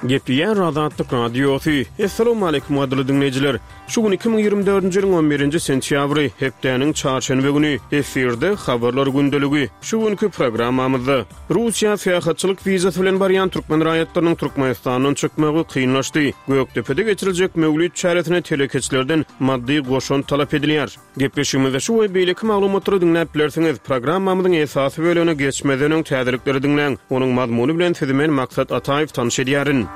Gepleýär Azatlyk Radiosy. Assalamualaikum gadyrly diňleýjiler. Şu gün 2024-nji ýylyň 11-nji sentýabry, hepdäniň çarşenbe güni. Efirde habarlar gündeligi. Şu günki programmamyzda Russiýa syýahatçylyk wizasy bilen barýan türkmen raýatlarynyň Türkmenistandan çykmagy kynlaşdy. Gökdepede geçiriljek Möwlit çäresine telekeçilerden maddy goşant talap edilýär. Gepleşigimizde şu we beýleki maglumatlary diňläp bilersiňiz. Programmamyzyň esasy bölegine geçmezden öň täzelikleri diňläň. Onuň mazmuny bilen sizi men Maksat Ataýew tanyş edýärin.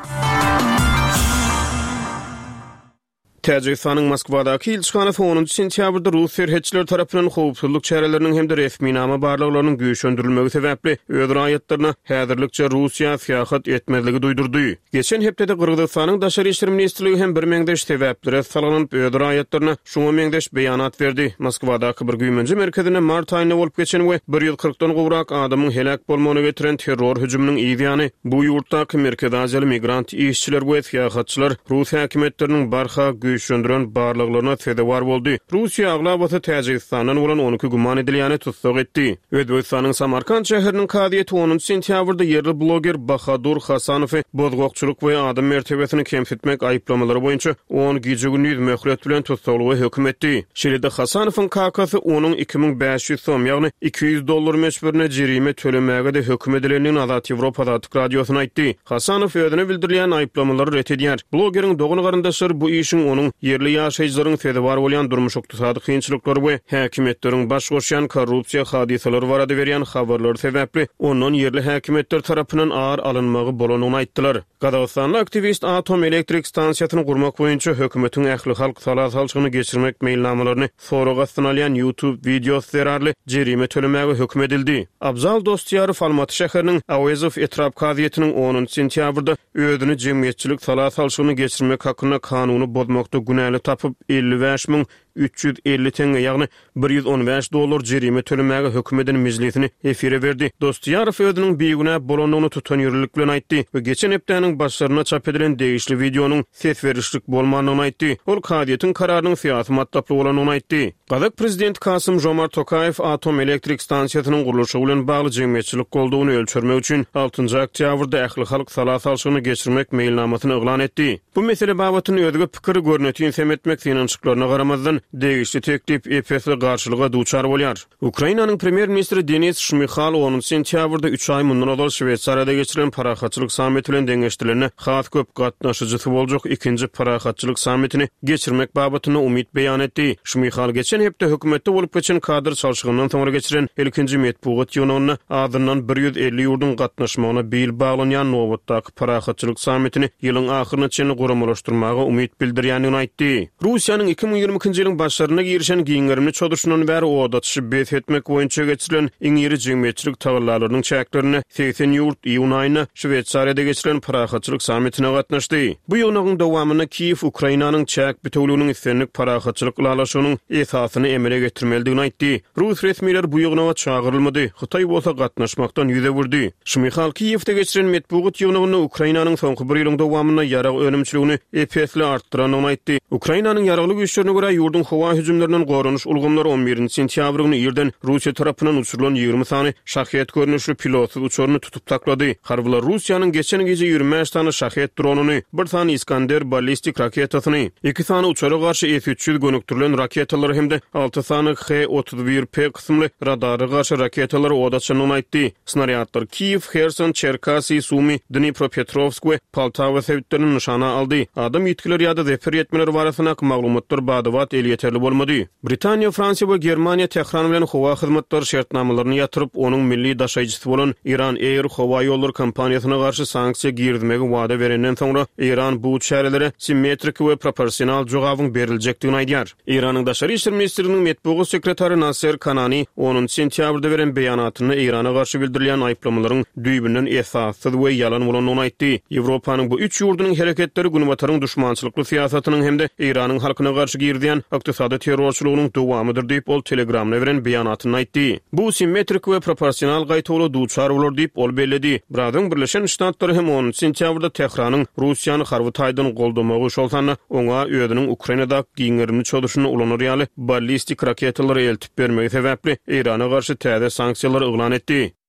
Täjigistanyň Moskwadaky ilçihanasy onunjy sentýabrda rus serhetçileri tarapyndan howpsuzlyk çäreleriniň hem-de resminama barlaglarynyň güýçlendirilmegi sebäpli öz raýatlaryna häzirlikçe Russiýa syýahat etmezligi duýdurdy. Geçen hepdede Gyrgyzystanyň Daşary işler ministrligi hem birmeňzeş sebäplere salgylanyp öz raýatlaryna şuňa meňzeş beýanat berdi. Moskwadaky bir güýmenje merkezinde mart aýynda bolup geçen we bir 140-dan gowrak adamyň heläk bolmagyna getiren terror hüjüminiň yz ýany, bu ýurtdaky merkezi aziýaly migrant işçiler we syýahatçylar rus häkimiýetleriniň barha güýçlendiren barlaglaryna sezewar boldy. Russiýa aglabasy Täjigistandan bolan 12 güman edilýäni tussag etdi. Özbegistanyň Samarkant şäheriniň kazyýeti onunjy sentýabrda ýerli bloger Bahadur Hasanowy bozgakçylyk we adam mertebesini kemsitmek aýyplamalary boýunça on gije-gündiz möhlet bilen tussaglyga höküm etdi. Şeýle-de Hasanowyň kakasy onuň 2500 som, ýagny 200 dollar möçberinde jerime tölemäge-de höküm edilendigini Azat Ýewropa Azatlyk Radiosyna aýtdy. Hasanow özüne bildirilýän aýyplamalary ret edýär. Blogeriň dogan-garyndaşlary bu işiň onuň ýerli ýaşaýjylaryň sezewar bolýan durmuş-ykdysady kynçylyklary we häkimiýetleriň baş goşýan korrupsiýa hadysalary barada berýän habarlary sebäpli ondan ýerli häkimiýetler tarapyndan ar alynmagy bolandygyny aýtdylar. Gazagystanly aktiwist atom elektrik stansiýasyny gurmak boýunça hökümetiň ählihalk sala salşygyny geçirmek meýilnamalaryny sorag astyna alýan YouTube wideosy zerarly jerime tölemäge höküm edildi. Abzal Dostýarow Almaty şäheriniň Auezow etrap kazyýetiniň onunjy sentýabrda özüni jemgyýetçilik sala salşygyny geçirmek hakynda kanuny bozmakda günäli tapyp, 55 350 teňňe, ýagny 115 dollar jerime tölemäge höküm eden mejlisini efire berdi. Dostýarow özüniň bigünä bolandygyny tutanýerlilik bilen aýtdy we geçen hepdäniň başlarynda çap edilen degişli wideonyň ses berişlik bolmandygyny aýtdy. Ol kazyýetiň kararynyň syýasy matlaply bolandygyny aýtdy. Gazak prezidenti Kasym-Žomart Tokaýew atom elektrik stansiýasynyň gurluşygy bilen bagly jemgyýetçilik goldawyny ölçermek üçin altynjy oktýabrda ählihalk sala salşygyny geçirmek meýilnamasyny yglan etdi. Bu mesele babatynda özge pikiri görnetin sem etmek synanyşyklaryna garamazdan, degişli teklip ep-esli garşylyga duçar bolýar. Ukrainanyň premýer-ministri Denis Şmyhal onunjy sentýabrda üç aý mundan ozal Şweýsariýada geçirilen parahatçylyk sammiti bilen deňeşdirilende has köp gatnaşyjysy boljak ikinji parahatçylyk sammitini geçirmek babatynda umyt beýan etdi. Şmyhal geçen hepde hökümetde bolup geçen kadr çalşygyndan soňra geçiren ilkinji metbugat ýygnagynda azyndan 150 ýurduň gatnaşmagyna bil baglanýan nobatdaky parahatçylyk sammitini ýylyň ahyryna çenli guramalaşdyrmaga umyt bildirýändigini aýtdy. Russiýanyň 2022-nji ýylyň başlarynda girişen giň gerimli çozuşyndan bäri od atyşy bes etmek boýunça geçirilen iň iri jemgyýetçilik tagallalarynyň çäklerinde 80 ýurt iýun aýynda Şweýsariýada geçirilen parahatçylyk sammitine gatnaşdy. Bu ýygnagyň dowamynda Kiýew Ukrainanyň çäk bitewüliginiň islendik parahatçylyk ylalaşygynyň esasyny emele getirmelidigini aýtdy. Rus resmileri bu ýygnaga çagyrylmady, Hytaý bolsa gatnaşmakdan ýüz öwürdi. Şmyhal Kiýewde geçiren metbugat ýygnagynda Ukrainanyň soňky bir ýylyň dowamynda ýarag önümçiligini ep-esli artdyrandygyny aýtdy. Ukrainanyň ýaragly güýçlerine görä, ýurduň howa hüjümlerinden goranyş ulgamlary on birinji sentýabr güni irden Russiýa tarapyndan uçurylan 20 sany Şahed görnüşli pilotsyz uçaryny tutup saklady. Harbylar Russiýanyň geçen gije 25 sany Şahed dronyny, bir sany Iskander ballistik raketasyny, iki sany uçara garşy S 300 gönükdirilen raketalary hem-de alty sany H 31 P kysymly radara garşy raketalary ot açandygyny aýtdy. Snarýadlar Kiýew, Herson, Çerkasy, Sumy, Dnipropetrowsk we Poltawa sebitlerini nyşana aldy. Adam ýitgileri ýa-da zeper ýetmeleri barasyndaky maglumatlar bada-bat elýeterli bolmady. Britaniýa, Fransiýa we Germaniýa Tähran bilen howa hyzmatlary şertnamalaryny ýatyryp, onuň milli daşaýjysy bolan Iran Air howa ýollary kompaniýasyna garşy sanksiýa girizmegi wada berenden soňra, Eýran bu çärelere simmetriki we proporsional jogabyň beriljekdigini aýdýar. Eýranyň Daşary işler ministrliginiň metbugat sekretary Nasser Kanani onunjy sentýabrda beren beýanatynda Eýrana garşy bildirilýän aýyplamalaryň düýbünden esassyz we ýalan bolandygyny aýtdy. Ýewropanyň bu üç ýurdunyň hereketleri Günbataryň duşmançylykly syýasatynyň hem-de Eýranyň halkyna garşy girizýän ykdysady terrorçylygynyň dowamydyr diýip, ol Telegramda beren beýanatynda aýtdy. Bu simmetrik we proporsional gaýtawula duçar bolar diýip, ol belledi. Biraz öň Birleşen Ştatlary hem onunjy sentýabrda Tähranyň Russiýany harby taýdan goldamagy, şol sanda oňa özüniň Ukrainadaky giň gerimli çozuşynda ulanar ýaly ballistik raketalary eltip bermegi sebäpli Eýrana garşy täze sanksiýalary yglan etdi.